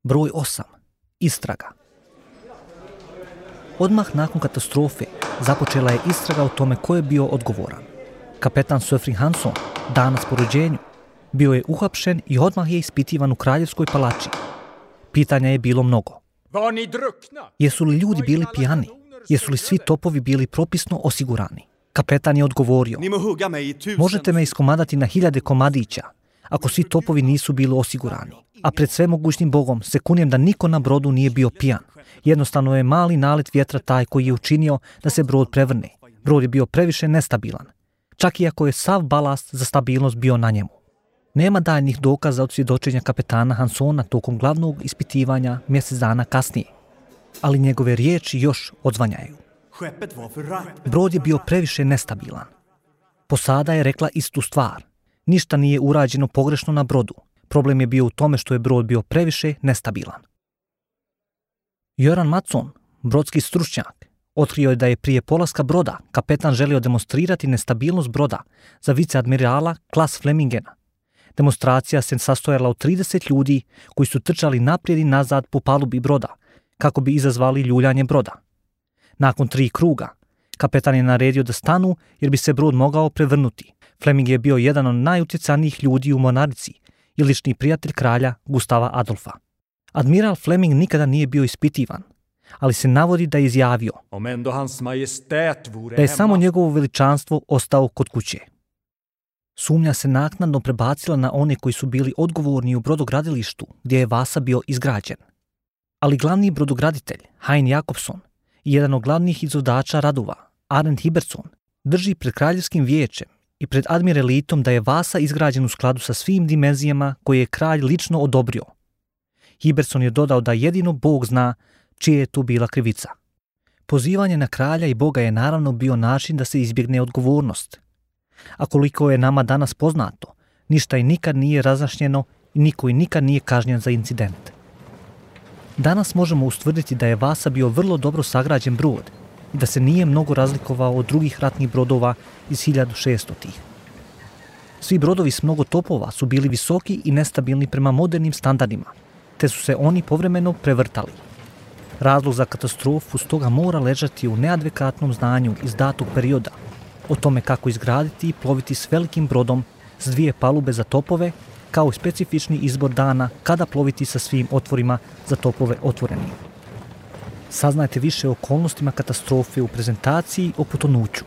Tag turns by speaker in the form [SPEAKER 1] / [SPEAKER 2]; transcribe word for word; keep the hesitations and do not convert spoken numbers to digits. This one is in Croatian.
[SPEAKER 1] Broj osam. Istraga. Odmah nakon katastrofe započela je istraga o tome ko je bio odgovoran. Kapetan Sofri Hansson, danas po rođenju, bio je uhapšen i odmah je ispitivan u Kraljevskoj palači. Pitanja je bilo mnogo. Jesu li ljudi bili pijani? Jesu li svi topovi bili propisno osigurani? Kapetan je odgovorio: možete me iskomadati na hiljade komadića ako svi topovi nisu bili osigurani. A pred svemogućnim Bogom se kunijem da niko na brodu nije bio pijan. Jednostavno je mali nalet vjetra taj koji je učinio da se brod prevrne. Brod je bio previše nestabilan, čak i ako je sav balast za stabilnost bio na njemu. Nema daljnjih dokaza od svjedočenja kapetana Hanssona tokom glavnog ispitivanja mjesec dana kasnije, ali njegove riječi još odzvanjaju. Brod je bio previše nestabilan. Posada je rekla istu stvar. Ništa nije urađeno pogrešno na brodu. Problem je bio u tome što je brod bio previše nestabilan. Göran Mattsson, brodski stručnjak, otkrio je da je prije polaska broda kapetan želio demonstrirati nestabilnost broda za viceadmirala Klas Flemingena. Demonstracija se sastojala od trideset ljudi koji su trčali naprijed i nazad po palubi broda kako bi izazvali ljuljanje broda. Nakon tri kruga, kapetan je naredio da stanu jer bi se brod mogao prevrnuti. Fleming je bio jedan od najutjecajnijih ljudi u mornarici i lični prijatelj kralja Gustava Adolfa. Admiral Fleming nikada nije bio ispitivan, ali se navodi da je izjavio da je samo njegovo veličanstvo ostao kod kuće. Sumnja se naknadno prebacila na one koji su bili odgovorni u brodogradilištu gdje je Vasa bio izgrađen. Ali glavni brodograditelj, Hein Jakobson, i jedan od glavnih izvođača radova, Arend Hibertson, drži pred kraljevskim vijećem i pred admiralitom da je Vasa izgrađen u skladu sa svim dimenzijama koje je kralj lično odobrio. Hibertson je dodao da jedino Bog zna čija je tu bila krivica. Pozivanje na kralja i Boga je naravno bio način da se izbjegne odgovornost. A koliko je nama danas poznato, ništa i nikad nije razjašnjeno i niko i nikad nije kažnjen za incident. Danas možemo ustvrditi da je Vasa bio vrlo dobro sagrađen brod i da se nije mnogo razlikovao od drugih ratnih brodova iz hiljadu šeststotih. Svi brodovi s mnogo topova su bili visoki i nestabilni prema modernim standardima, te su se oni povremeno prevrtali. Razlog za katastrofu stoga mora ležati u neadekvatnom znanju iz datog perioda o tome kako izgraditi i ploviti s velikim brodom s dvije palube za topove, kao i specifični izbor dana kada ploviti sa svim otvorima za topove otvorenim. Saznajte više o okolnostima katastrofe u prezentaciji o potonuću.